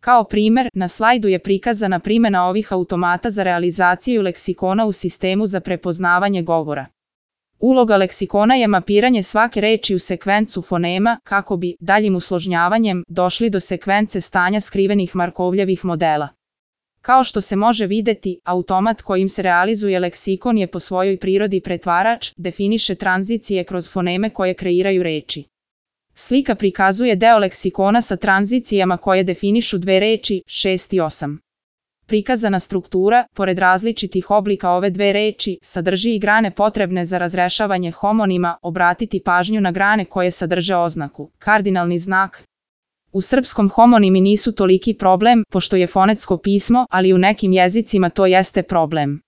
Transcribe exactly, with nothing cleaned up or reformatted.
Kao primer, na slajdu je prikazana primjena ovih automata za realizaciju leksikona u sistemu za prepoznavanje govora. Uloga leksikona je mapiranje svake reči u sekvencu fonema kako bi, daljim usložnjavanjem, došli do sekvence stanja skrivenih Markovljevih modela. Kao što se može vidjeti, automat kojim se realizuje leksikon je po svojoj prirodi pretvarač, definiše tranzicije kroz foneme koje kreiraju reči. Slika prikazuje deo leksikona sa tranzicijama koje definišu dve reči, šest i osam. Prikazana struktura, pored različitih oblika ove dve reči, sadrži i grane potrebne za razrešavanje homonima, obratiti pažnju na grane koje sadrže oznaku, kardinalni znak. U srpskom homonimi nisu toliki problem, pošto je fonetsko pismo, ali u nekim jezicima to jeste problem.